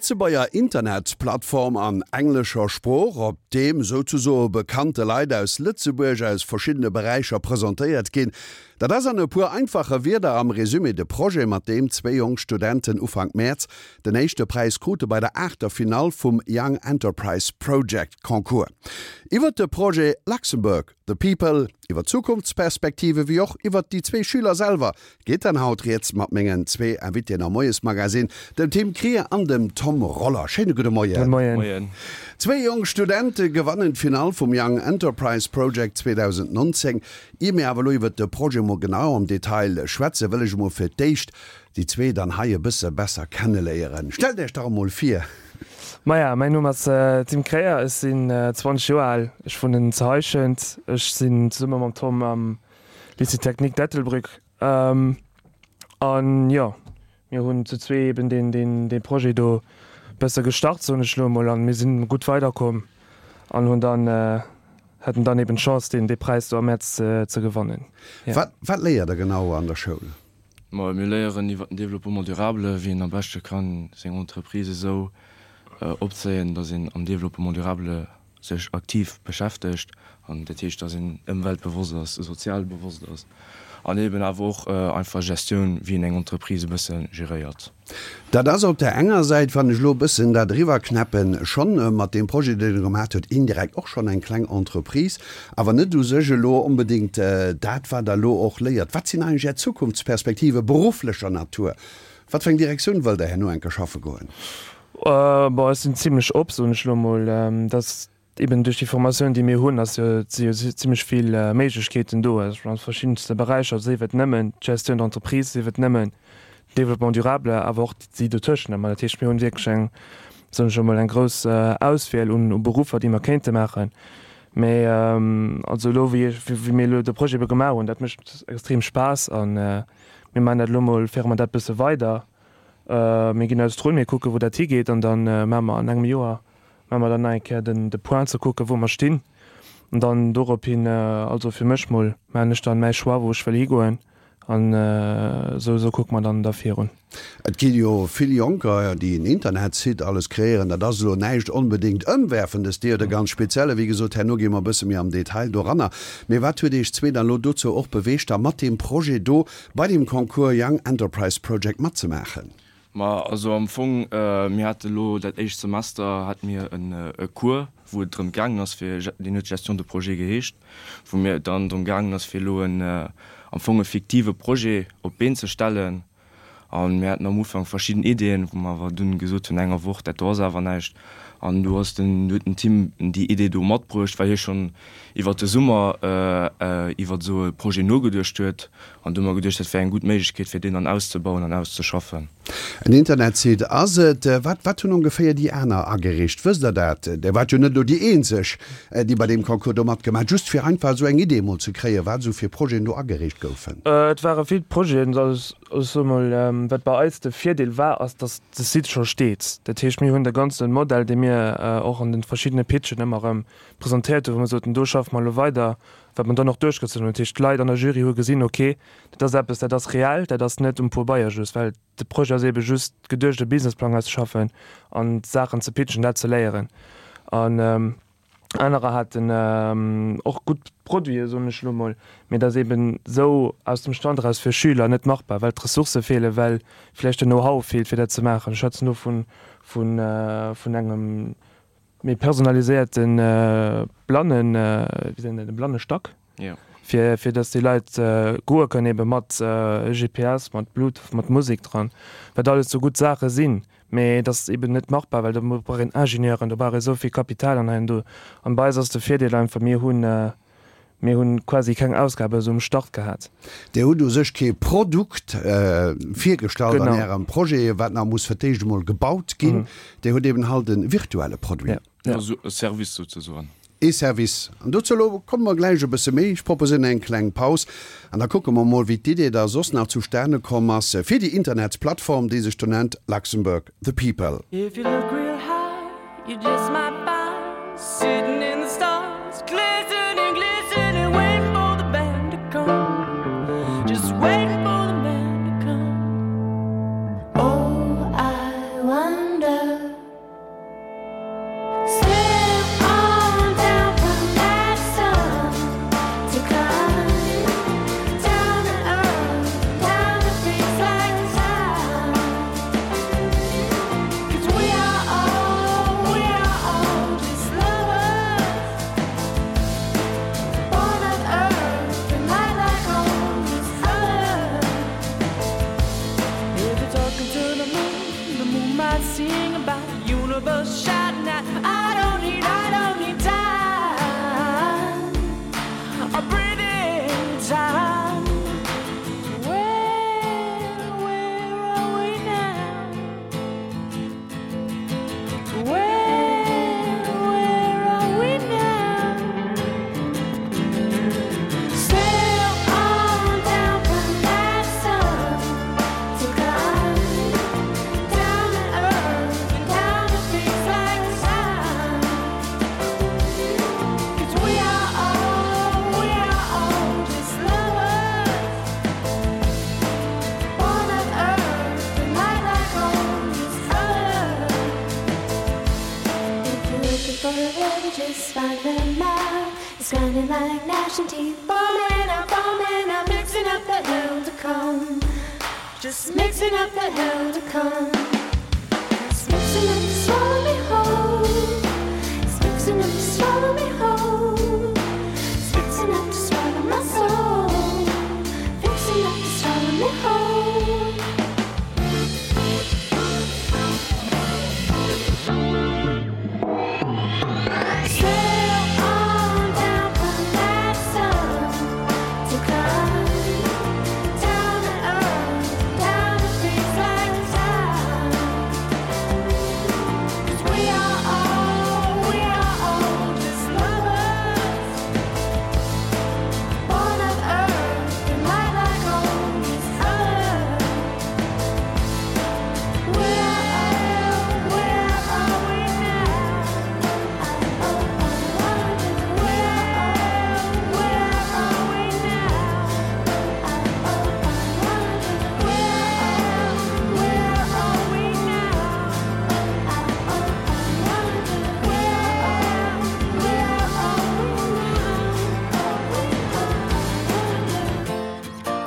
Lëtzebuerger Internetplattform an englescher Sprooch, op deem souzesoe bekannte Leit aus Lëtzebuerg aus verschiddene Beräicher presentéiert ginn. Dat ass an e puer einfache Wierder am Resumé de Projet, mat deem zwéi jonk Studenten Ufank Mäerz den éischte Präis krute bei der aachter Finall vum Young Enterprise Project Concours. Iwwert de Projet Luxembourg, The People, iwwer d'Zukunftsperspektive wéi och iwwert déi zwee Schüler selwer geet dann haut rieds mat mengen zwee Invitéen am Moiesmagazin, dem Tim Krier an dem Tom Roller. Schéine gudde Moien. Moien. Zwee jonk Studente gewannen d'Finall vum Young Enterprise Project 2019. Ier mir awer elo iwwert de Projet mol genau am Detail schwätzen, wëll ech emol fir d'éischt déi zwee dann hei e bësse besser kenneléieren. Stellt Iech dach emol vir. Maja, mäin Numm ass Tim Kreyer, ech sinn 20 Joer al, ech wunnen zu Heischent. Ech sinn zesumme mam Tom am Lycée Technique d'Ettelbréck an jo, mir hunn zu zwee eben deen, deen, dee Projet do bësse gestart, soen ech elo emol, an mir sinn gutt weiderkomm an hunn dann, haten dann eben d'Chance deen, dee Präis do am Mäerz ze gewannen. Jo. Wat, wat léiert der genau an der Schoul? Ma mir léieren iwwer den Développement durable, wéi een am beschte kann seng Entreprise esou opzéien, datt een am Développement durable sech aktiv beschäftegt an dat heescht, datt een ëmweltbewosst ass, sozialbewosst ass an eben awer och einfach Gestioun, wéi een eng Entreprise e bësse geréiert. Dat ass op där enger Säit, wann ech elo e bëssen dat eriwwerknäppen, schonn mat deem Projet, deen Der gemaat hutt, indirekt och schonn eng kleng Entreprise, awer net u sech elo onbedéngt dat, wat Der elo och léiert. Wat sinn eigentlech Är Zukunftsperspektive berufflecher Natur? Wat fir eng Direktioun wëllt Der herno enke schaffe goen? Bon, ech sinn zimlech op, soen ech elo emol. Dass eben duerch déi Formatioun, déi mir hunn, ass jo, si jo zimlech vill Méiglechkeeten do, also an verschiddenste Beräicher, sief et nëmmen d'Gestion d'entreprise, sief et nëmmen Développement durable, awer och déi dotëschent ëmmer. Dat heescht, mir hunn wierklech eng, soen ech emol, eng grouss Auswiel un Beruffer, déi mer kéinte maachen. Mä also elo, wéi ech, wéi mir elo de Projet ebe gemaach hunn, dat mécht extrem Spaass a mir maachen dat elo emol, féiere mer dat bësse weider. Mir ginn eis drun, mir kucken, wou dat higeet an da maache mer an engem Joer maache mer dann nach eng Kéier den de Point ze kucken, wou mer stinn. An dann dorophin, also fir mech mol, maachen ech dann mäi Choix, wou ech wëll higoen an esou esou kucke mer dann da virun. Et gi jo vill Jonker, déi en Internetsite alles kreéieren. Dat ass elo näischt onbedéngt Ëmwerfendes, Dir huet e ganz spezielle, wéi gesot, herno gi mer e bësse méi am Detail doranner. Mee wat huet Iech zwee dann elo dozou och beweegt, da mat deem Projet do bei deem Concours Young Enterprise Project matzemaachen? Ma also am Fong, mir hate lo dat éischt Semester hate mir e Cours, wou et drëm gaangen ass fir, deen huet Gestion de projet geheescht, wou mir et dann drëm gaangen ass fir elo en am Fong e fiktive Projet op d'Been ze stellen. A mir haten am Ufank verschidden Ideeën, wou mer awer dunn gesot hunn no enger Woch, dat do ass awer näischt. An du ass den, huet den Tim déi Idee do matbruecht, well hie schonn iwwert de Summer iwwert esou e Projet nogeduecht huet. An du hu mer geduecht, dat wär eng gutt Méiglechkeet, fir deen dann auszebauen an auszeschaffen. En Internetsite ass et. Wat, wat hunn ongeféier déi aner agereecht? Wësst Der dat? Der waart jo net elo déi eenzeg, déi bei deem Concours do matgemaach huet. Just fir einfach esou eng Idee emol ze kréien, wat esou fir Projeten do agereecht goufen. Et ware vill Projeten. Also ech soe mol, wat bei eis de Virdeel war, ass, datt de Site scho steet. Dat heescht, mir hunn de ganze Modell, dee mir och an de verschiddene Pitchen ëmmer erëm presentéiert hunn, wou mer soten, do schaffe mer elo weider, wat mer dann och duerchgezunn hunn. Dat heescht, d'Leit an der Jury hu gesinn, ok, dat ass eppes, dat ass reell, dat ass net um Pobeier just, well de Projet ass eebe just geduecht, e Businessplang auszeschaffen an d'Saachen ze pitchen, dat ze léieren. An anerer haten och gutt Produiten, soen ech elo mol, mee dat ass eeben esou aus dem Stand eraus fir Schüler net machbar, well d'Ressourcë feelen, well vläicht den Know-how feelt, fir dat ze maachen. Ech schwätzen do vun engem Méi personaliséierte Blannen, wéi seet een dat, e Blannestack, fir fir datt déi Leit goe kënnen, ebe mat GPS, mat Bluetooth, mat Musek dran, wat alles sou gutt Saache sinn, mee et ass eben net machbar, well do brauch een Ingenieuren, do brauch ee sou vill Kapital an hei an do. An bei eis ass de Virdeel einfach, mir hunn Mir hunn quasi keng Ausgabe esou um Start gehat. Dir hutt u sech kee Produkt virgestallt an Ärem Projet, wat nach muss fir d'éischt emol gebaut ginn. Dir hutt eben halt e virtuelle Produit. Also e Service souzesoen. Ee Service. An dozou elo komme mer gläich e bësse méi. Ech proposéieren eng kleng Paus an da kucke mer emol, wéi d'Idee da soss nach zustane komm ass fir déi Internetsplattform, déi sech do nennt Luxembourg the People. If you look real high, you just might find Sitting in the stars, glistening, glistening Waiting for the band to come Just waiting for the man to come Oh, I wonder. You just find the mouth. It's grinding like gnashing teeth. Forming up, forming up, mixing up the hell to come. Just mixing up the hell to come. It's mixing up to swallow me whole. It's mixing up to swallow me whole. It's mixing up to swallow my soul. Fixing up to swallow me whole. Sail on down from that sun to come down to earth, down to freeze like time. 'Cause we are all, we are all just lovers, born of earth and light like all these others. Where, where are we now? Oh, I wonder where, where are we now? Oh, I wonder where, where are we now? Oh, I wonder where, where are we now? Oh, I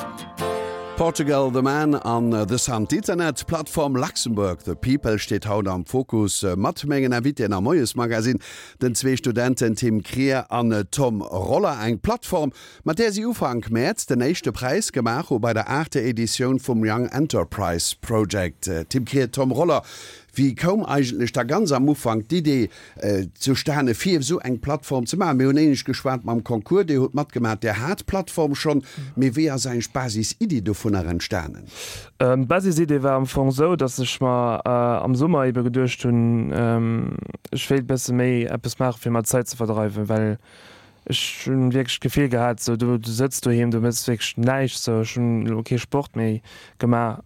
wonder. Portugal The Man an The Sun. D'Internetplattform Luxembourg The People steet haut am Fokus mat mengen Invitéen am Moiesmagazin, den zwee Studenten Tim Krier an Tom Roller. Eng Plattform, mat där si Ufank Mäerz den éischte Präis gemaach hu bei der aachter Editioun vum Young Enterprise Project. Tim Krier, Tom Roller, wéi koum eigentlech da ganz am Ufank d'Idee zustane fir esou eng Plattform ze maachen. Mir hunn éinescht geschwat mam Concours, Dir hutt matgemaach, Dir hat d'Plattform schonn, mee wéi ass eigentlech d'Basisiddi dovunner entstanen? D'Basisidee war am Fong esou, datt ech mer am Summer ebe geduecht hunn, ech wéilt bësse méi eppes maache fir mer d'Zäit ze verdreiwen, well Ech hunn wierklech d'Gefill gehat, sou du sëtz doheem, du méchs wierklech näischt, sou ech hunn elo kee Sport méi gemaach,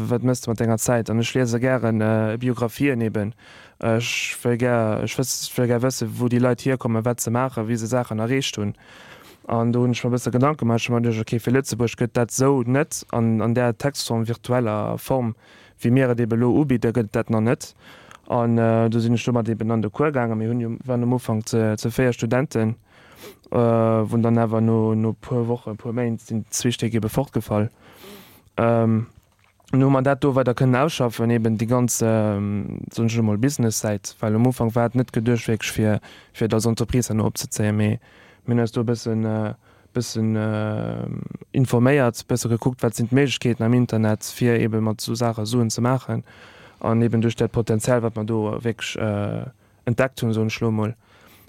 wat méchs de mat denger Zäit? An ech liese gären Biographien eben, ech wëll gär, ech wëss, ech wëll gär wëssen, wou déi Leit hierkommen, wat se maachen, wéi se Saachen erreecht hunn. An do hunn ech mer e bësse Gedanke gemaach, ech hu mer geduecht, okay, fir Lëtzebuerg gëtt dat sou net an an där Textform, virtueller Form, Wéi mir et eben elo ubidden, gëtt et dat nach net. An do sinn ech domat eben an de Cours gaangen. Mir hunn jo, waren am Ufank ze 4 Studenten, wou dann awer no no puer Wochen, puer Méint sinn zwee Stéck ebe fortgefall. An hu mer dat do weider kënnen ausschaffen, eben déi ganz, soen ech elo mol, Business-Säit, well um Ufank war et net geduecht wierklech fir fir et als Entreprise herno opzezéien, mee mir hunn eis do e bëssen bëssen informéiert, bësse gekuckt, wat sinn d'Méiglechkeeten am Internet, fir eebe mat esou Saache Suen ze maachen. An eeben duerch dat Potenzial, wat mer do wierklech entdeckt hunn, soen ech elo emol,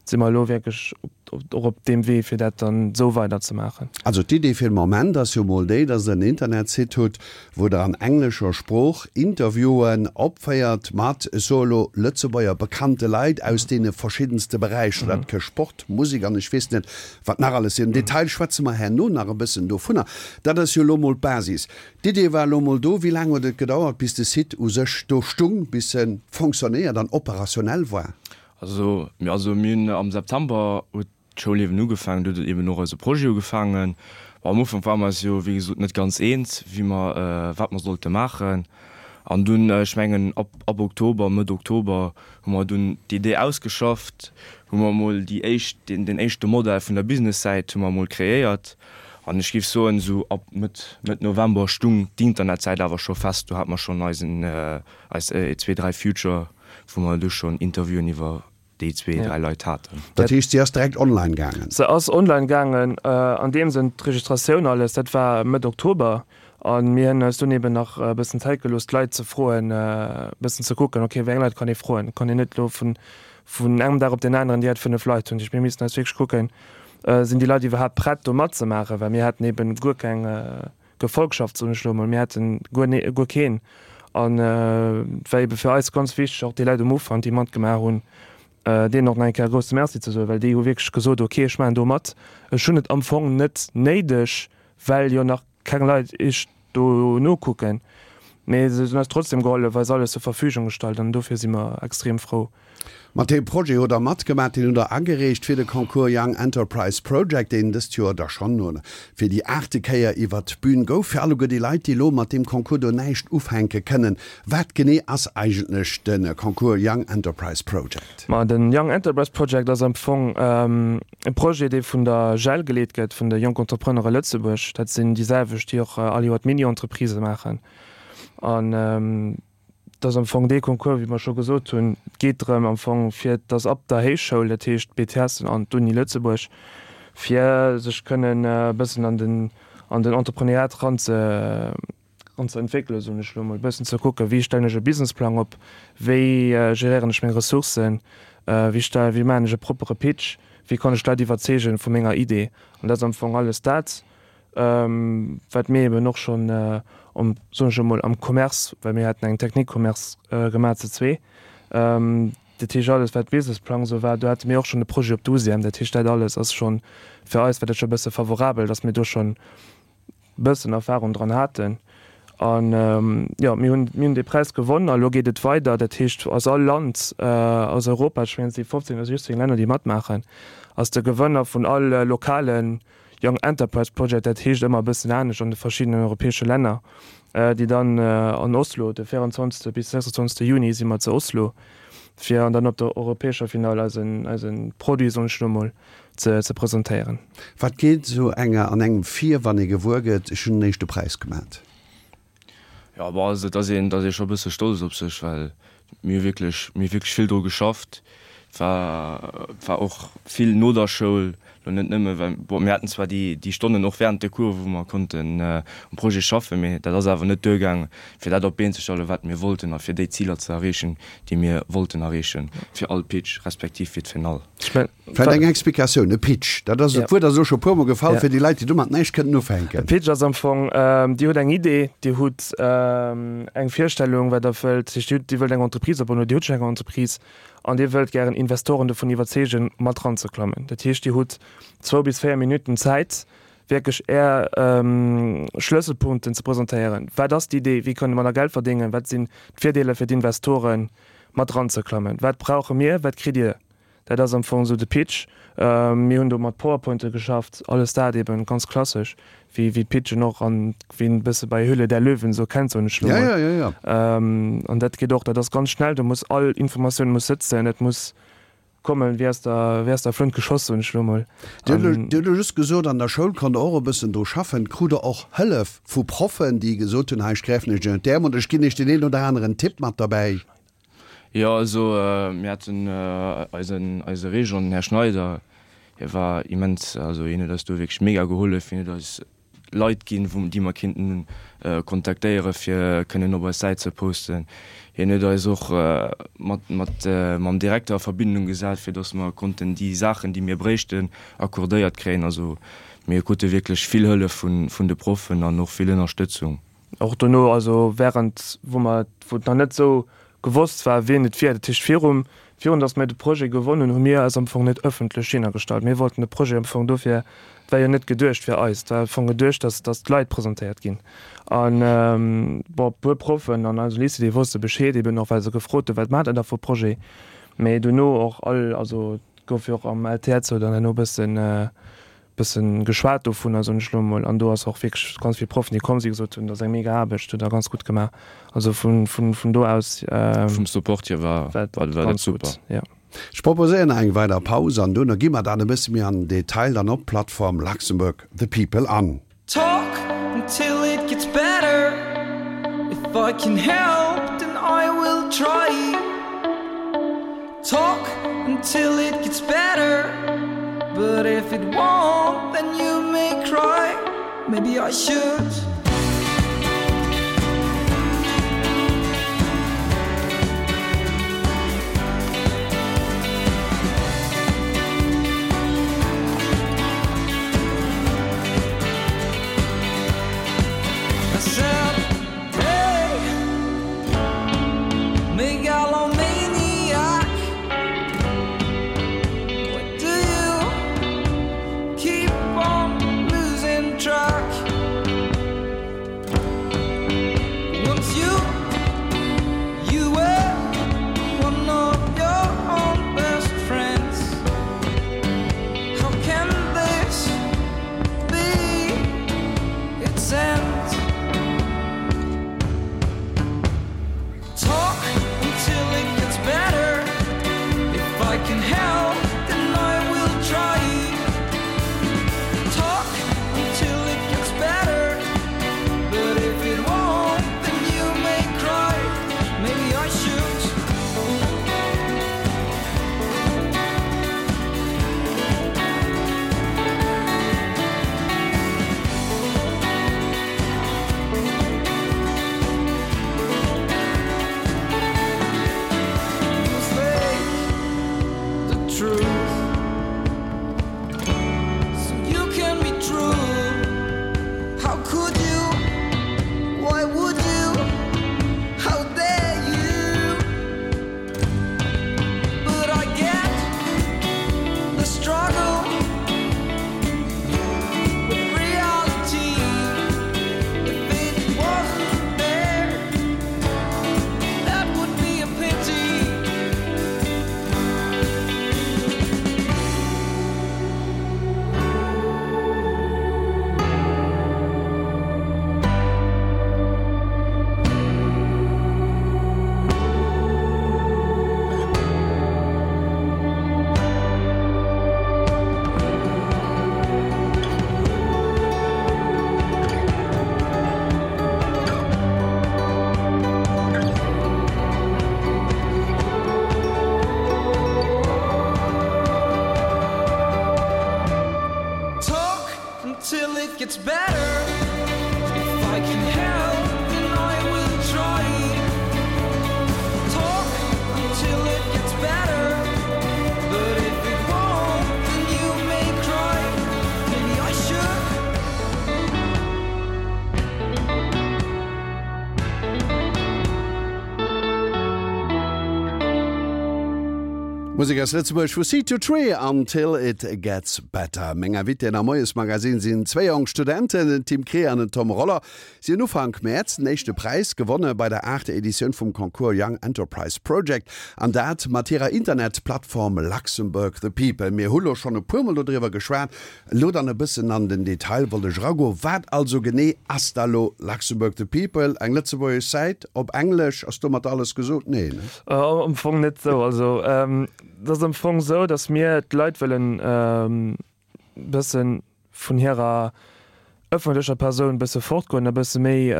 si mer elo wierklech och op deem Wee, fir dat dann esou weiderzemaachen. Also d'Idee fir de Moment ass jo mol déi, dass Der en Internetsite hutt, wou Der an englescher Sprooch Interviewen opféiert mat, ech soe elo, Lëtzebuerger bekannte Leit aus deene verschiddenste Beräicher. Dat ka Sport, Musek an ech weess net wat nach alles sinn. Am Detail schwätze mer herno nach e bëssen dovunner. Dat ass jo elo mol d'Basis. D'Idee war elo mol do. Wéi laang huet et gedauert, bis de Site u sech do stung, bis e fonctionnéiert an operationell war? Also, also mir hunn am September huet d'Schoulliewen ugefaangen, do huet eben och eise Projet ugefaangen. Bon, am Ufank ware mer eis jo, wéi gesot, net ganz eens, wéi mer, wat mer sollte maachen. An dunn, ech mengen ab, ab Oktober, Mëtt Oktober, hu mer dunn d'Idee ausgeschafft, hu mer emol déi éischt, deen, deen éischte Modell vun der Business-Säit hu mer emol kreéiert. An ech géif soen, esou ab Mëtt, Mëtt November stung d'Internetsäit awer scho fest. Do hate mer schonn eisen, eis 23 Future, wou mer du schonn Interviewen iwwer déi zwee, dräi Leit haten. Dat heescht, si ass direkt online gaangen? Se ass online gaangen, an deem Sënn, d'Registratioun alles, dat war Mëtt Oktober. A mir hunn eis dunn eben nach e bëssen Zäit gelooss, d'Leit ze froen, e bëssen ze kucken, okay, wéi eng Leit kann ee froen. Et kann een net elo vun, vun engem Dag op deen aneren direkt 5 Leit hunn. Dat heescht, mir missten eis wierklech kucken, sinn déi Leit iwwerhaapt prett, do matzemaachen, well mir haten eben guer keng, Gefolgschaft, soen ech elo emol, mir haten guer ne, guer keen. An et war ebe fir eis ganz wichteg, och déi Leit um Ufank, déi matgemaach hunn, deenen och nach eng Kéier e grousse Merci ze soen, well déi hu wierklech gesot, ok, ech maachen do mat, ech hunn et am Fong net néideg, well jo nach keng Leit iech do nokucken. Mee se hunn eis trotzdem gehollef, eis alles zur Verfügung gestallt an dofir si mer extrem frou. Mat deem Projet hutt Der matgemaach, deen hutt Der agereecht fir de Concours Young Enterprise Project, deen dëst Joer da schonn fir déi aachte Kéier iwwert d'Bün gouf. Fir alleguer déi Leit, déi elo mat deem Concours do näischt ufänke kënnen, wat genee ass eigentlech de Concours Young Enterprise Project? Ma de Young Enterprise Project ass am Fong e Projet, dee vun der JEL geleet gëtt, vun de Jonk Entrepreneure Lëtzebuerg. Dat sinn déi selwecht, déi och all Joer d'Mini-Entreprisë maachen. An Et ass am Fong dee Concours, wéi mer scho gesot hunn, et geet drëm am Fong, fir dass ab der Héichschoul, dat heescht d'BTS an d'Uni Lëtzebuerg, fir sech kënnen e bëssen an den, an den Entrepreneuriat eran ze, eran ze entwéckelen, soen ech elo emol, e bëssen ze kucken, wéi stellen ech e Businessplang op, wéi geréieren ech meng Ressourcen, wéi stell, wéi maachen ech e proppere Pitch, wéi kann ech d'Leit iwwerzeegen vu menger Idee. An dat ass am Fong alles dat. Wat mir eben och schonn am, soen ech emol, am Commerce, well mir haten eng Technique Commerce gemaach zu zwee, dat heescht alles wat Businessplang esou war, do hate mir och schonn e Projet op d'USIEM, dat heescht dat alles ass schonn, fir eis war dat scho e bësse favorabel, datt mir do schonn e bëssen Erfahrung dran haten. An jo, mir hunn, mir hunn dee Präis gewonn a lo geet et weider, dat heescht aus all Land aus Europa, ech mengen et si 15 oder 16 Länner déi matmaachen, ass de Gewënner vun all lokalen Young Enterprise Project, dat heescht ëmmer e bëssen anescht an de verschiddenen europäesche Länner, déi dann an Oslo, de 24. Bis 26. Juni si mer zu Oslo, fir an dann op der europäescher Finall eisen, eise Produit, soen ech elo mol, ze, ze presentéieren. Wat geet esou enger an engem vir, wann ee gewuer gëtt, ech hunn den éischte Präis gemat? Jo, bon, also et ass een, et ass ee scho e bësse stolz op sech, well mir hu wierklech, mir hu wierklech vill dru geschafft. Et war, et war och vill no der Schoul, lo net nëmme well, bon, mir haten zwar déi, déi Stonnen och während de Cours, wou mer konnten um Projet schaffen, mee dat ass awer net duergaang, fir dat op d'Been ze stellen, wat mir wollten a fir déi Ziler ze erreechen, déi mir wollten erreechen fir all Pitch, respektiv fir d'Finall. Vläicht eng Explikatioun, e Pitch, dat ass, dat Wuert ass elo scho e puermol gefall, fir déi Leit, déi domat näischt kënnen ufänken. E Pitch ass am Fong, Dir hutt eng Idee, Dir hutt eng Virstellung, wat Der wëllt, dat heescht, Dir wëllt eng Entreprise opbauen oder Dir hutt schonn eng Entreprise an Dir wëllt gären Investoren dovun iwwerzeegen, mat eranzeklammen. Dat heescht, Dir hutt zwou bis véier Minutten Zäit, wierklech Är Schlësselpunkten ze presentéieren. Wat ass d'Idee? Wéi kënne mer da Geld verdéngen? Wat sinn d'Virdeeler fir d'Investoren, mat eranzeklammen? Wat brauche mir? Wat kritt Dir? Dat ass am Fong esou de Pitch. Mir hunn do mat Powerpointe geschafft, alles dat eben ganz klassesch, wéi wéi d'Pitchen och an wéi een e bësse bei Höhle der Löwen esou kennt, soen ech elo mol. Ja, ja, ja, ja. An dat geet och, dat ass ganz schnell, do muss all Informatioun muss sëtzen, et muss kommen wéi aus der wéi aus der Flënt geschoss, soen ech elo mol. Dir hutt elo, Dir hutt elo just gesot, an der Schoul konnt Der och e bëssen dru schaffen. Krut Der och Hëllef vu Proffen, déi gesot hunn, hei ech gräifen Iech ënnert d'Äerm oder ech ginn Iech deen een oder aneren Tipp mat derbäi? Jo, also mir haten eisen eise Régent, den Här Schneider, hie war immens, also hien huet eis do wierklech mega gehollef, hien huet eis Leit ginn, wou déi mer kinnten kontaktéiere fir kënnen op eis Säit ze posten. Hien huet eis och mat mat mam Direkter a Verbindung gesat, fir datt mer konnten déi Saachen, déi mir bréichten, accordéiert kréien. Also mir krute wierklech vill Hëllef vun vun de Proffen an och vill Ënnerstëtzung. Och dono, also während wou mer, wou et nach net esou gewosst war, wien et wier, dat heescht virum, virun datt mir de Projet gewonnen hunn, hu mir eis am Fong net ëffentlech hinnergestallt. Mir wollten de Projet am Fong dofir, et war jo net geduecht fir eis, et war am Fong geduecht, datt, datt d'Leit presentéiert ginn. An, bon, e puer Proffen an eisem Lycée, déi wosste Bescheed, eben och well se gefrot hunn, wat maacht der da fir e Projet? Mee dono och all, also et gouf jo och am LTEtt dann herno e bëssen, bëssen geschwat dovunner, soen ech elo emol, an do ass och wierklech ganz vill Proffen, déi komm sinn, gesot hunn, dat ass eng mega Aarbecht, hutt der ganz gutt gemaach. Also vun, vun, vun do aus Vum Support hier war, war war dat ganz super. gutt, jo. Ech proposéieren nach eng weider Paus an duerno gi mer dann e bësse méi an den Detail dann op d'Plattform Luxembourg the People an. Talk until it gets better If I can help then I will try Talk until it gets better But if it won't then you may cry Maybe I should I said hey Megalomaniac What do you keep on losing track Once you. Musek aus Lëtzebuerg vu Seed to Tree, Until It Gets Better. Meng Invitéen am Moiesmagazin sinn zwéi jonk Studenten, den Tim Krier an den Tom Roller. Si hunn Ufank Mäerz den éischte Präis gewonne bei der aachter Editioun vum Concours Young Enterprise Project an dat mat hirer Internetplattform Luxembourg the People. Mir hu lo schonn e puermol dodriwwer geschwat. Elo dann e bëssen an den Detail wollt ech eragoen. Wat also genee ass da lo Luxembourg the People? Eng lëtzebuergesch Säit op Englesch? Ass domat alles gesot? Nee, ne? Am Fong net esou. Also et ass am Fong esou, datt mir d'Leit wëllen e bësse vun hirer ëffentlecher Persoun e bësse fortgoen a bësse méi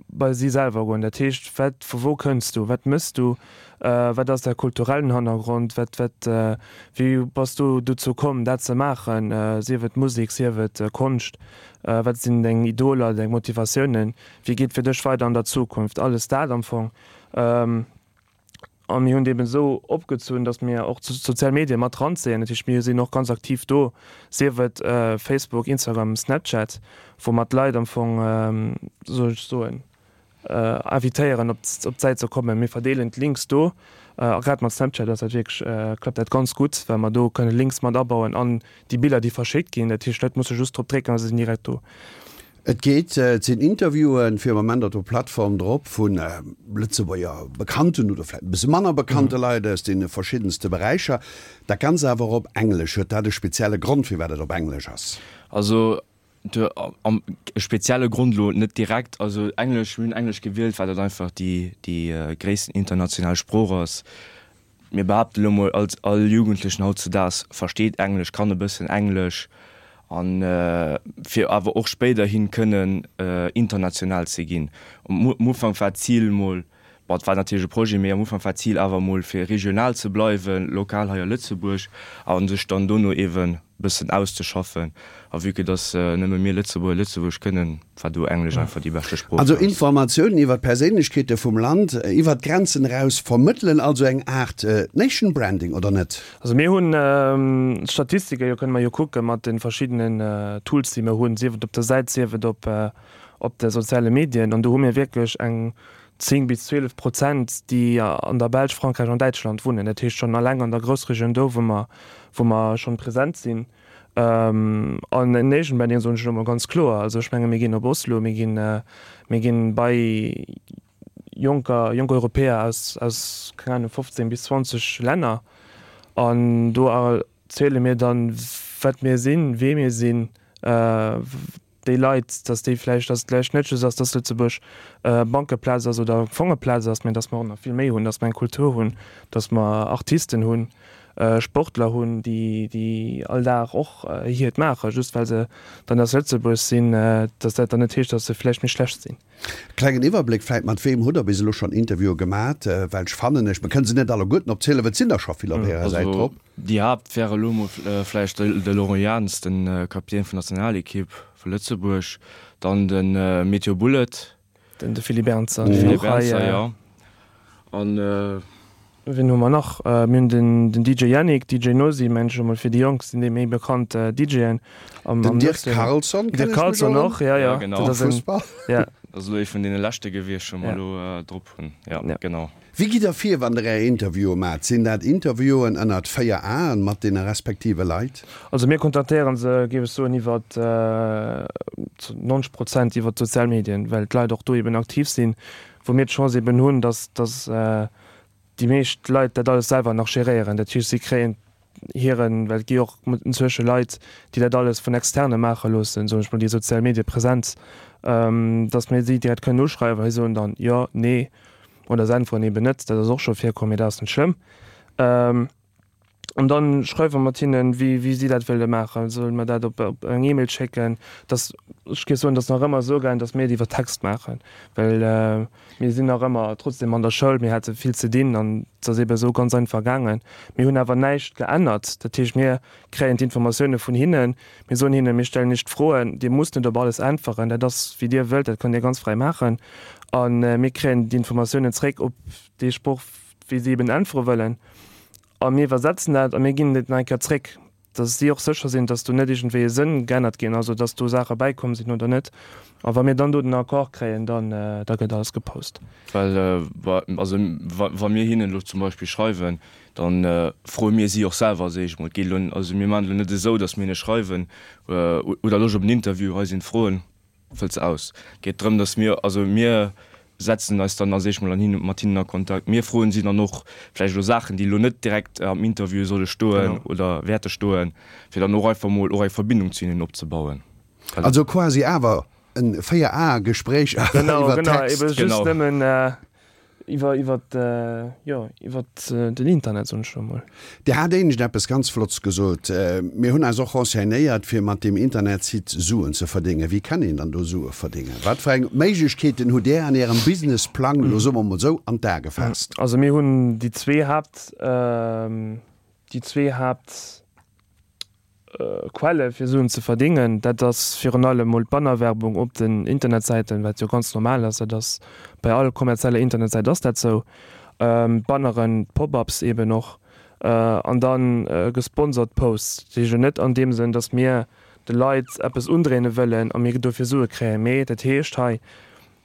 bei si selwer goen. Dat heescht, wat, vu wou kënns du, wat mëss du, wat ass däi kulturellen Hannergrond, wat, wat, wéi bass du dozou komm, dat ze maachen, sief et Musek, sief et Konscht, wat sinn deng Idoler, deng Motivatiounen, wéi geet et fir dech weider an der Zukunft, alles dat am Fong. A mir hunn et eben esou opgezunn, datt mir och d'sozial Medie mat ranzéien. Dat heescht, mir sinn och ganz aktiv do, sief et Facebook, Instagram, Snapchat, wou mer d'Leit am Fong, soll ech soen, invitéieren op d'Säit ze kommen. Mir verdeelen d'Links do. A grad mat Snapchat ass dat wierklech, klappt dat ganz gutt, well mer do kënne Links mat abauen an déi Biller, déi verschéckt ginn. Dat heescht, d'Leit musse just drop drécken a se sinn direkt do. Et geet, et sinn Interviewen fir Moment op der Plattform drop vu Lëtzebuerger bekannten oder vläicht e bësse manner bekannte Leit aus deene verschiddenste Beräicher. Dat Ganzt awer op Englesch. Huet dat e spezielle Grond, firwat et op Englesch ass? Also e spezielle Grond elo net direkt. Also Englesch, mir hunn Englesch gewielt, well dat einfach déi déi gréissten international Sprooch ass. Mir behaapten elo mol, als all Jugendlechen hautzudaags versteet Englesch, kann e bëssen Englesch, a fir awer och spéiderhin kënnen international ze ginn. Am Ufank war d'Zil mol, bon, et war natierlech e Projet, mee am Ufank war d'Zil awer mol fir regional ze bleiwen, lokal hei a Lëtzebuerg, a sech dann dono eeben bëssen auszeschaffen. A vue que dass nëmme mir Lëtzebuerger Lëtzebuergesch kënnen, war do Englesch einfach déi beschte Sprooch Also fir eis. Informatiounen iwwer d'Perséinlechkeete vum Land iwwer d'Grenzen eraus vermëttelen, also eng Aart Nation Branding, oder net? Also mir hunn d'Statistike jo, kënne mer jo kucke mat de verschiddenen Tools déi mir hunn, sief et op der Säit, sief et op op de soziale Medien, an do hu mir wierklech eng 10 bis 12 Prozent, déi an der Belsch, Frankräich an Däitschland wunnen. Dat heescht schonn alleng an der Groussregioun do, wou mer, wou mer schonn present sinn. An en Nation Branding soen ech elo mol ganz kloer. Also ech menge mir ginn op Oslo, mir ginn, mir ginn bei jonker, jonk Europäer aus, aus, keng Ahnung, 15 bis 20 Länner an do erziele mir dann, wat mir sinn, wee mir sinn, déi Leit, dass déi vläicht, dass et vläicht net just ass, dass Lëtzebuerg e Bankeplaz ass oder Fongeplaz ass, mä dass mer och nach vill méi hunn, dass mer eng Kultur hunn, dass mer Artisten hunn, Sportler hunn, déi, déi all Dag och hiert maachen, just well se dann aus Lëtzebuerg sinn, dass dat dann net heescht, dass se vläicht méi schlecht sinn. Klengen Iwwerbléck vläit, Mat weem hutt Der bis elo schonn Interviewe gemat? Well ech fannen, ech, mer kënne se net alleguerten opzielen, well et sinn der scho vill op Ärer Säit drop. Déi Haapt wäre elo mol vläicht de Laurent Jans, de Kapitän vun der Nationalekipp vu Lëtzebuerg, dann de Meteo Bullet. Den de Philippe Ernzer, deen och hei. Jo. An. Wien hu mer nach? Mir hunn den den DJ Yannick, DJ Nosi, mengen ech emol, fir déi Jonk sinn déi méi bekannt DJen am Den Dirk Carlson kennen ech mech Carlson och, ja, ja. Genau. Dat ass en, Fussball. Ja. Dat ass elo ee vun deene leschte gewiescht, wou mer elo drop hunn. Ja, genau. Wéi gitt Der vir, wann Der Är Interviewe maacht? Sinn dat Interviewen ënnert 4 Aen mat deene respektive Leit? Also mir kontaktéieren se, géif ech soen, iwwer zu 90 Prozent iwwer d'sozial Medien, well d'Leit och do eben aktiv sinn, wou mir d'Chance eben hunn, dass dass déi meescht Leit dat alles selwer nach geréieren. Dat heescht, si kréien hiren, well et gi och inzwësche Leit, déi dat alles vun Externe maache loossen, soen ech mol, déi sozial Mediepresenz, dass mir si direkt kënnen uschreiwen a si soen dann jo, nee oder se äntweren eben net. Dat ass och scho virkomm, mee dat ass net schlëmm. An dann schreiwe mer mat hinnen, wéi, wéi si dat wëlle maachen. Solle mer dat op, op eng E-Mail schécken? Dass, ech géif soen, dass nach ëmmer esou gaangen, dass mir et iwwer Text maachen, well mir sinn nach ëmmer trotzdem an der Schoul, mir hate vill ze dinn an et ass eebe esou ganz einfach gaangen. Mir hunn awer näischt geännert. Dat heescht, mir kréien d'Informatioune vun hinnen, mir soen hinnen, mir stellen iech d'Froen, dir musst net op alles äntweren, dat ass wéi dir wëllt, dat kënnt dir ganz fräi maachen. A mir kréien d'Informatiounen zréck op dee Sproch, wéi si eben äntwere wëllen. A mir iwwersetzen dat a mir ginn et nach eng Kéier zréck. Dass si och sécher sinn, dass do net iergendwéi e Sënn geännert ginn ass oder dass do Saache bäikomm sinn oder net. A wa mir dann do den Accord kréien, dann da gëtt alles gepost. Well also wa mir hinnen elo zum Beispill schreiwen, da froe mir si och selwer als éischt emol. Et geet elo, also mir maachen et elo net esou, dass mir hinne schreiwen, Hutt Der Loscht op en Interview, hei sinn d'Froen. Fëllt se aus. Geet drëm, datt mir, also mir setzen eis dann als éischt mol an hin, mat hinnen a Kontakt. Mir froen si dann och vläicht elo Saachen, déi elo net direkt am Interview solle stoen oder wäerte stoen, fir dann och einfach mol och eng Verbindung zu hinnen opzebauen. Also quasi awer en 4 Ae-Gespréich awer iwwer Text. Genau, genau, ebe just nëmmen Iwwer, iwwer, jo, iwwer den Internet, soen ech elo mol. Dir hat éinescht eppes ganz Flotts gesot. Mir hunn eis och renseignéiert, fir mat deem Internetsite Suen ze verdéngen. Wéi kann een dann do Sue verdéngen? Wat fir eng Méiglechkeeten hutt Där an Ärem Businessplang, elo soe mer mol esou, an d'A gefaasst? Also mir hunn déi zwee Haapt, déi zwee Haapt. Quelle fir Suen ze verdingen, dat ass virun allem mol d'Bannerwerbung op den Internetsäiten, wat jo ganz normal ass, dat ass bei all kommerzieller Internetsäit ass dat sou, d'Banneren, d'Pop-ups eben och, an dann gesponsert Posts. Dat heescht jo net an deem Sënn, datt mir de Leit eppes undréine wëllen a mir dofir Sue kréien, mee dat heescht hei,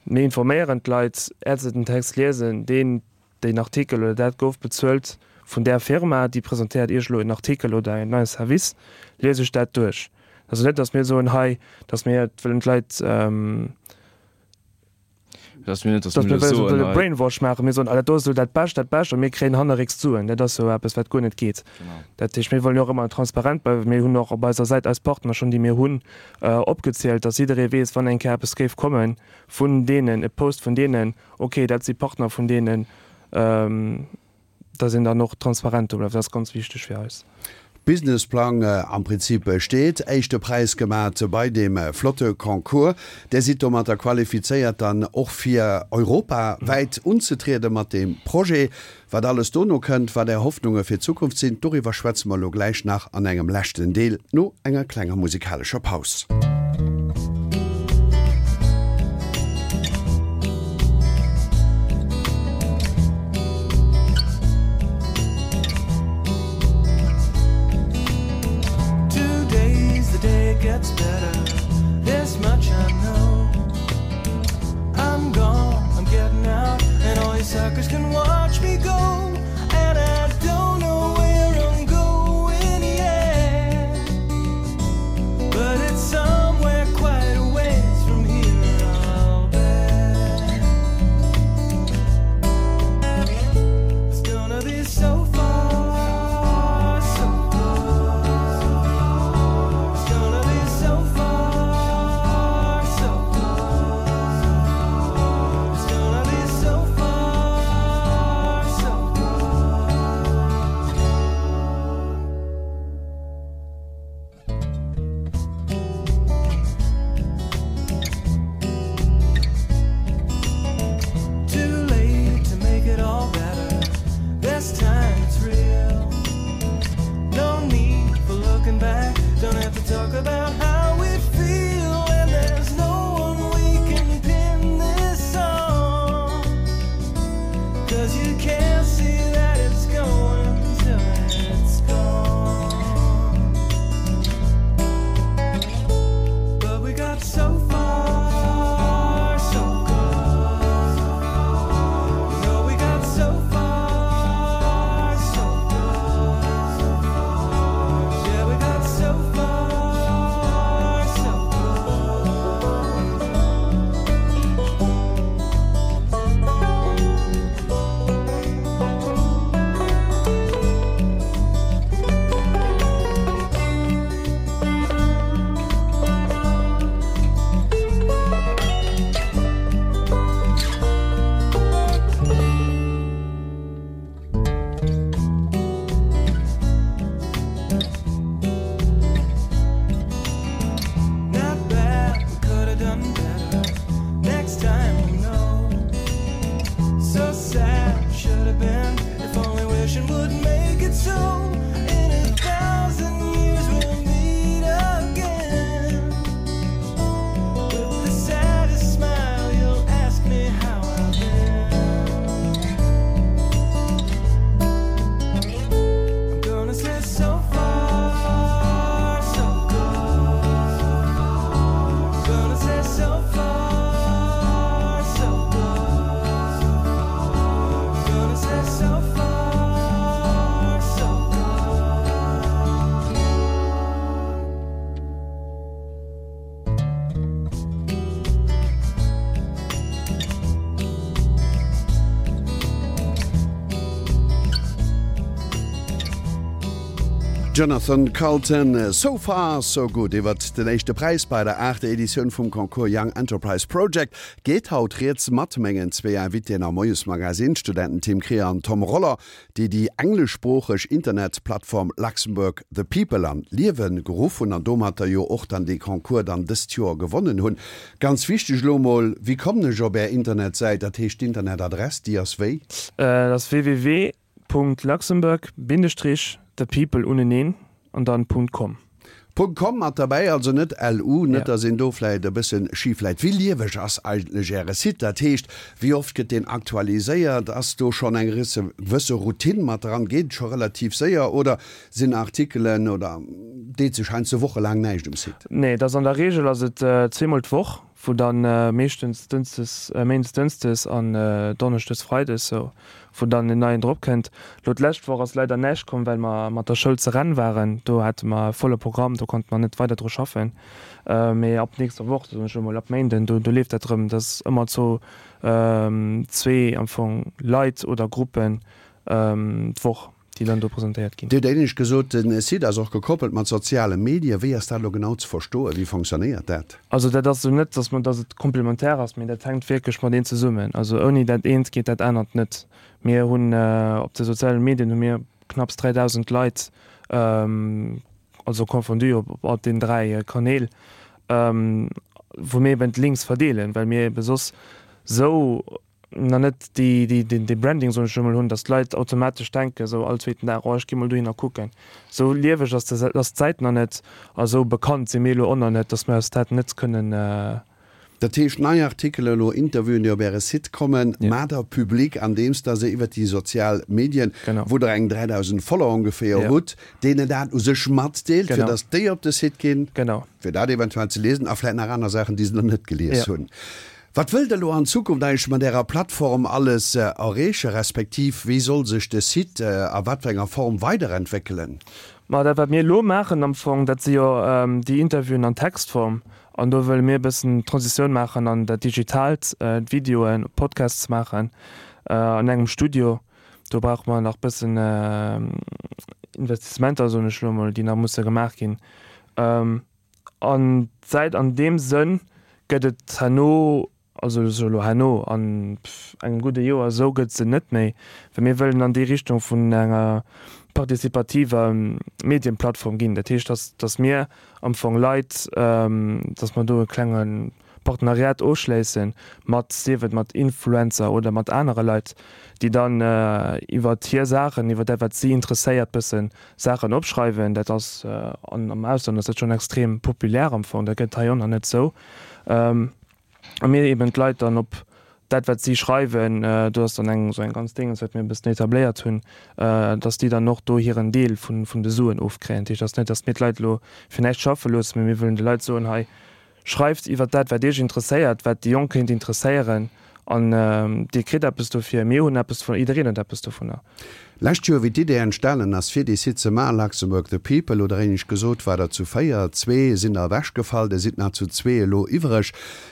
mir informéieren d'Leit, äert se den Text liesen, deen Deen Artikel oder dat gouf bezuelt vun där Firma, déi presentéiert Iech elo en Artikel oder en neie Service, liest Iech dat duerch. Also net, datt mir soen hei, datt mir wëllen d'Leit, datt mir net, datt mir wëlle Brainwash maachen, mir soen, ah dat do ass elo dat Bescht, dat Bescht a mir kréien hannerrécks d'Suen. Dat ass jo eppes, wat guer net geet. Dat heescht, mir wëllen jo och ëmmer transparent bleiwen. Mir hunn och op eiser Säit eis Partner schonn, déi mir hunn, opgezielt, datt jidderee weess, wann eng Kéier eppes géif komme vun deenen, e Post vun deenen, Ok, dat si Partner vun deenen, dass een dann och transparent do bleift. Dat ass ganz wichteg fir eis. Businessplang am Prinzip steet. Éischte Präis gemat bei deem flotte Concours. Där sidd domatter qualifizéiert dann och fir europawäit unzetriede mat deem Projet. Wat alles dono kënnt, wat Är Hoffnunge fir d'Zukunft sinn, doriwwer schwätze mer elo gläich nach an engem leschten Deel no enger klenger musikalescher Paus. Jonathan Coulton, So far, so good. Iwwert den éischte Präis bei der aachter Editioun vum Concours Young Enterprise Project geet haut rieds mat mengen zwéi Invitéen am Moiesmagazin, d'Studenten Tim Krier an Tom Roller, déi déi engleschsproocheg Internetplattform Luxembourg The People an d'Liewe geruff hunn an domatter jo och dann dee Concours dann dëst Joer gewonnen hunn. Ganz wichteg elo mol, Wéi kommen ech op Är Internetsäit? Dat heescht d'Internetadress, déi ass wéi? Dat ass www. Punkt Luxembourg Bindestrich the people uneneen an dann Punkt com. Punkt com mat derbäi, also net LU, net dass een do vläit e bëssen schif läit. Wéi lieweg ass eigentlech Äre Site? Dat heescht, wéi oft gëtt deen aktualiséiert? Ass do schonn eng gewësse Routine mat dran? Geet et scho relativ séier oder sinn Artikelen oder deet sech heiansdo wochelaang näischt um Site? Nee, et ass an der Reegel ass et zweemol d'Woch, wou dann meeschtens Dënschdes, Méindes Dënschdes an Donneschdes Freides sou, wou dann en neien drop kënnt. Lo d'lescht Woch ass leider näischt komm, well mer mat der Schoul ze Rennes waren. Do hate mer e volle Programm, do konnte mer net weider dru schaffen. Mee ab nächster Woch, soen ech elo mol, ab Méinden, do do leeft dat erëm. Dat ass ëmmer zo zwee am Fong Leit oder Gruppen d'Woch. déi dann do presentéiert ginn. Dir hutt éinescht gesot, den Site ass och gekoppelt mat soziale Medien. Wéi ass dat elo genau ze verstoen? Wéi fonctionnéiert dat? Also dat ass esou net, dass mer, dass et komplementär ass, mee dat hänkt wierklech mateneen zesummen. Also ouni dat eent geet dat anert net. Mir hunn op de soziale Medien hu mir knapps 3.000 Leit, also confondu op all den 3 Kanäl, wou mir eben d'Links verdeelen, well mir ebe soss esou nach net déi, déi, deen, dee Branding, soen ech elo mol, hunn, datt d'Leit automatesch denken, esou all zweeten Dag, oh ech gi mol dohinner kucken. Esou lieweg ass de, ass d'Säit nach net a esou bekannt si mir elo och nach net, datt mir eis dat net kënnen. Dat heescht, nei Artikelen, elo Interviewen, déi op Äre Site kommen, maacht Der public, andeems Der se iwwert déi sozial Medien, wou Der eng 3.000 Follower ongeféier hutt, deenen dat u sech matdeelt, fir datt déi op de Site ginn, fir dat eventuell ze liesen a vläicht nach aner Saachen, déi se nach net gelies hunn. Wat wëllt Der elo an Zukunft eigentlech mat Ärer Plattform alles erreechen, respektiv wéi soll sech de Site a wat fir enger Form weiderentwéckelen? Ma dat wat mir elo maachen am Fong, dat si jo déi Interviewen an Textform an do wëlle mir e bëssen d'Transitioun maachen an dat Digitaalt, d'Videoen, Podcasts maachen an engem Studio. Do brauche mer nach bëssen Investissementer, soen ech elo emol, déi nach musse gemaach ginn. An d'Säit an deem Sënn gëtt et herno, also ech elo herno, an engem gudde Joer esou gëtt se net méi, well mir wëllen an déi Richtung vun enger participativer Medienplattform ginn. Dat heescht, dass, dass mir am Fong Leit, dass mer do e klenge Partenariat ofschléisse mat, sief et mat Influencer oder mat anere Leit, déi dann iwwert hir Saachen, iwwer dat wat si interesséiert, bëssen Saachen opschreiwen. Dat ass an am Ausland ass dat schonn extrem populär am Fong, dat gëtt hei och nach net esou. A mir eben d'Leit dann op dat wat si schreiwen, do ass dann eng esou eng ganz Déngens wat mir e bëssen etabléiert hunn, datt déi dann och do hiren Deel vun vun de Suen ofkréien. Dat heescht, et ass net, datt mir d'Leit elo fir näischt schaffe loossen, mee mir wëllen de Leit soen, hei Schreift iwwer dat, wat Iech interesséiert, wat déi Jonk kéint interesséieren, an Dir kritt eppes dofir, mir hunn eppes dovunner, jiddereen huet eppes dovunner. Lescht Joer, wéi d'Idee entstanen ass, fir dee Site ze maachen, Luxembourg the People, oder éinescht gesot, war der zu 4, zwee sinn der ewechgefall, der sidd nach zu zwee elo iwwereg.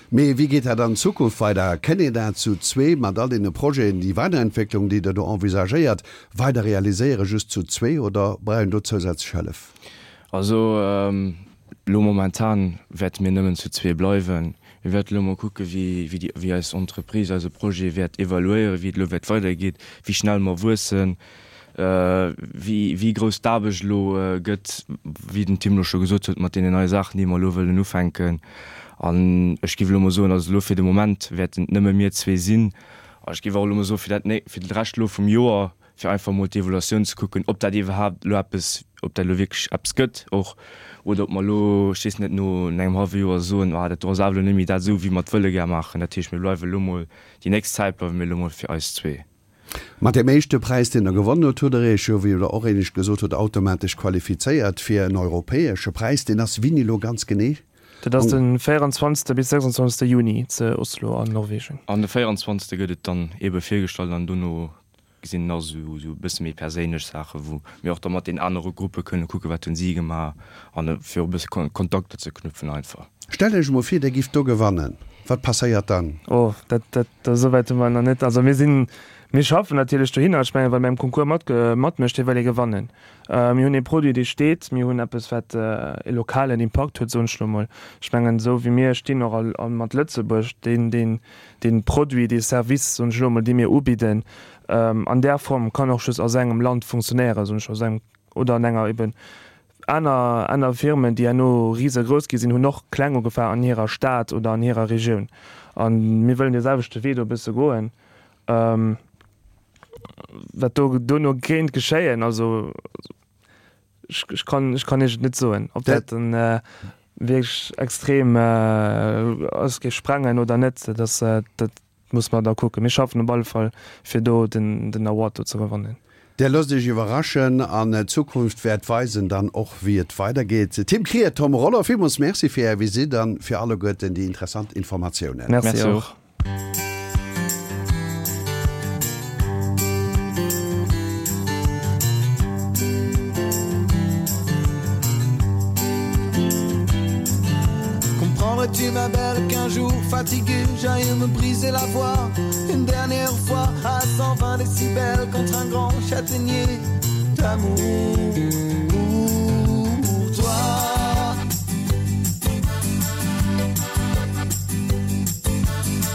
Mee wéi geet dat an Zukunft weider? Kënnt een dat zu zwee mat all deene Projeten, déi Weiderentwécklung, déi Der do envisagéiert, weider realiséieren, just zu zwee, oder brauch een do zousätzlech Hëllef? Also Elo momentan wäerte mir nëmmen zu zwee bleiwen. Mir wäerten elo mol kucke wéi déi, wéi eis Entreprise, eise Projet wäert evaluéieren, wéi et elo wäert weidergeet, wéi schnell mer wuessen, wéi, wéi grouss d'Aarbecht elo gëtt, wéi den Tim elo scho gesot huet, mat deenen neie Saachen, déi mer elo wëllen ufänken. An ech géif elo mol soen, also elo fir de Moment wäerten et nëmme mir zwee sinn. A ech géif och elo mol soen, fir dat, fir de Rescht elo vum Joer, fir einfach mol d'Evaluatioun ze kucken, ob dat iwwerhaapt elo eppes, ob dat elo wierklech eppes gëtt och, oder ob mer elo, ech weess net, no engem hallwe Joer soen, ah dat do ass awer elo net méi dat esou, wéi mer et wëlle gär maachen. Dat heescht, mir bleiwe elo mol, déi nächst Zäit bleiwe mir elo mol fir eis zwee. Mat deem éischte Präis, deen Der gewonnen hutt, hutt Der Iech jo, wéi Der och éinescht gesot hutt, automatesch qualifizéiert fir en europäesche Präis. Deen ass wéini elo ganz genee? Dat ass de 24. bis 26. Juni ze Oslo an Norwegen. An de 24. gëtt et dann eebe virgestallt an dono sinn nach esou e bësse méi perséinlech Saachen, wou mir och da mat den anere Gruppe kënne kucken, wat hunn si gemaach an fir och e bësse Kontakter ze knüpfen einfach. Stellt Iech emol vir, Dir gifft do gewannen, wat passéiert dann? Oh, dat, dat, esou wäit hu mer nach net. Also mir sinn, Mir schaffen natierlech dohinner. Ech mengen, wann ee beim Concours mat matmécht, dee wëll ee gewannen. Mir hunn ee Produit, dee steet. Mir hunn eppes, wat e lokalen Impakt huet, soen ech elo mol. Ech mengen, esou wéi mir stinn och a mat Lëtzebuerg, deen, deen, dee Produit, dee Service, soen ech elo mol, dee mir ubidden, an där Form kann och just a sou engem Land funktionéieren, soen ech, a sou engem oder an enger eben Aner aner Firmen, déi herno risegrouss gi sinn, hunn och kleng ugefaangen an hirer Stad oder an hirer Regioun. A mir wëllen dee selwechte Wee do e bësse goen. Wat do dono kéint geschéien, also ech ech kann ech kann Iech et net soen, ob dat dann wierklech extrem eis géif sprengen oder net. Dat ass dat Muss mer da kucken. Mir schaffen op alle Fall fir do den den Award do ze gewannen. Där loosst Iech iwwerraschen an d'Zukunft wäert weisen dann och wéi et weidergeet. Tim Krier, Tom Rollo, villmools Merci fir Är Visitt an fir alleguerten déi interessant Informatiounen. Merci och. Comprendrais-tu ma belle qu'un jour fatigué j'aille me briser la voix une dernière fois à 120 décibels contre un grand châtaignier d'amour pour toi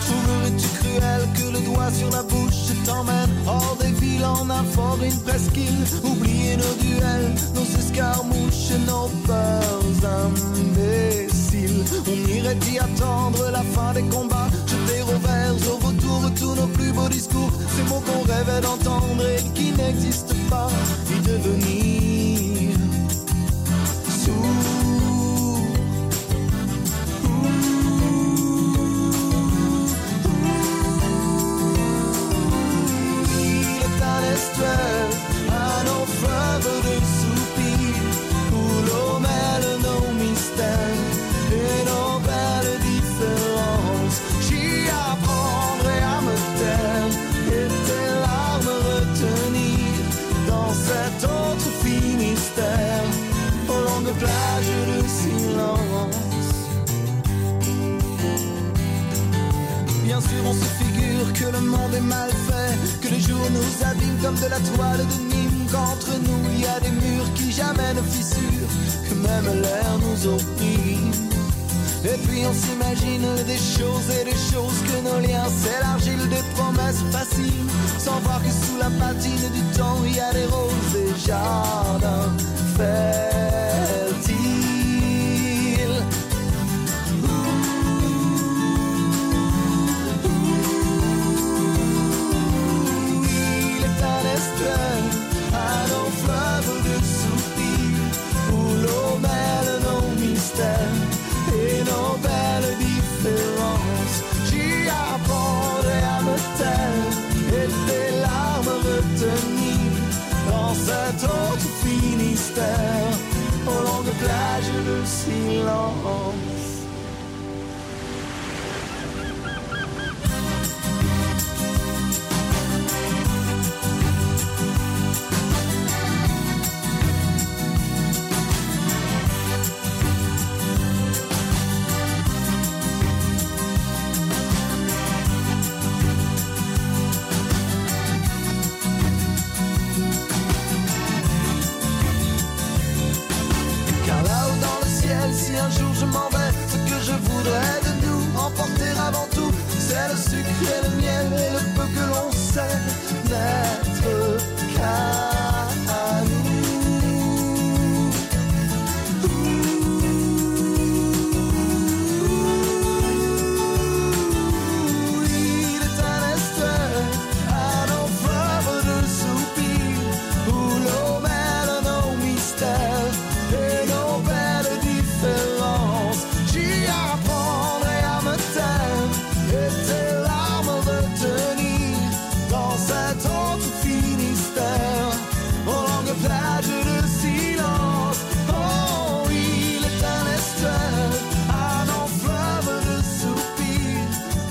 Trouverais-tu cruel que le doigt sur la bouche je t'emmène hors des villes en un fort une presqu'île oublier nos duels nos escarmouches nos peurs imbéciles on irait y attendre la fin des combats jeter au vers au retour tous nos plus beaux discours ces mots qu'on rêvait d'entendre et qui n'existent pas y devenir sourd Il est un estuaire, un nos fleuve de soupir Où l'eau mêle nos mystères et nos belles différences J'y apprendrai à me taire et tes larmes retenir Dans cet autre Finistère aux longues plages de silence Bien sûr on se figure que le monde est mal fait Que les jours nous abîment comme de la toile de Nîmes Qu'entre nous il y a des murs qui jamais ne fissurent Que même l'air nous opprime Et puis on s'imagine des choses et des choses Que nos liens c'est l'argile des promesses faciles Sans voir que sous la patine du temps il y a des roses et jardins fertiles Il est un estuaire à nos fleuves de soupir Où l'eau mêle nos mystères et nos belles différences J'y apprendrai à me taire et tes larmes retenir Dans cet autre Finistère aux longues plages de silence. Car là-haut dans le ciel, si un jour je m'en vais, ce que je voudrais de nous emporter avant tout, c'est le sucre et le miel et le peu que l'on sait n'être qu'à nous. Il est un estuaire à nos fleuves de soupir Où l'eau mêle nos mystères et nos belles différences J'y apprendrai à me taire et tes larmes retenir Dans cet autre Finistère aux longues plages de silence Oh il est un estuaire à nos fleuves de soupir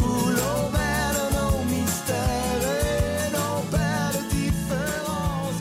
Où l'eau mêle nos mystères et nos belles différences.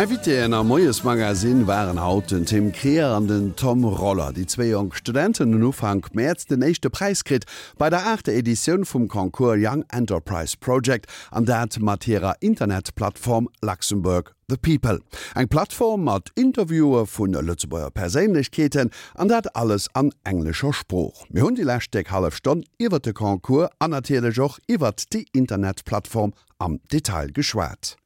Invitéen am Moiesmagazin waren haut den Tim Krier an den Tom Roller. Déi zwéi jonk Studenten hunn Ufank Mäerz den éischte Präis kritt bei der aachter Editioun vum Concours Young Enterprise Project an dat mat hirer Internetplattform Luxembourg The People. Eng Plattform mat Interviewe vu Lëtzebuerger Perséinlechkeeten an dat alles an englescher Sprooch. Mir hunn déi lescht déck hallef Stonn iwwert de Concours an natierlech och iwwert déi Internetplattform am Detail geschwat.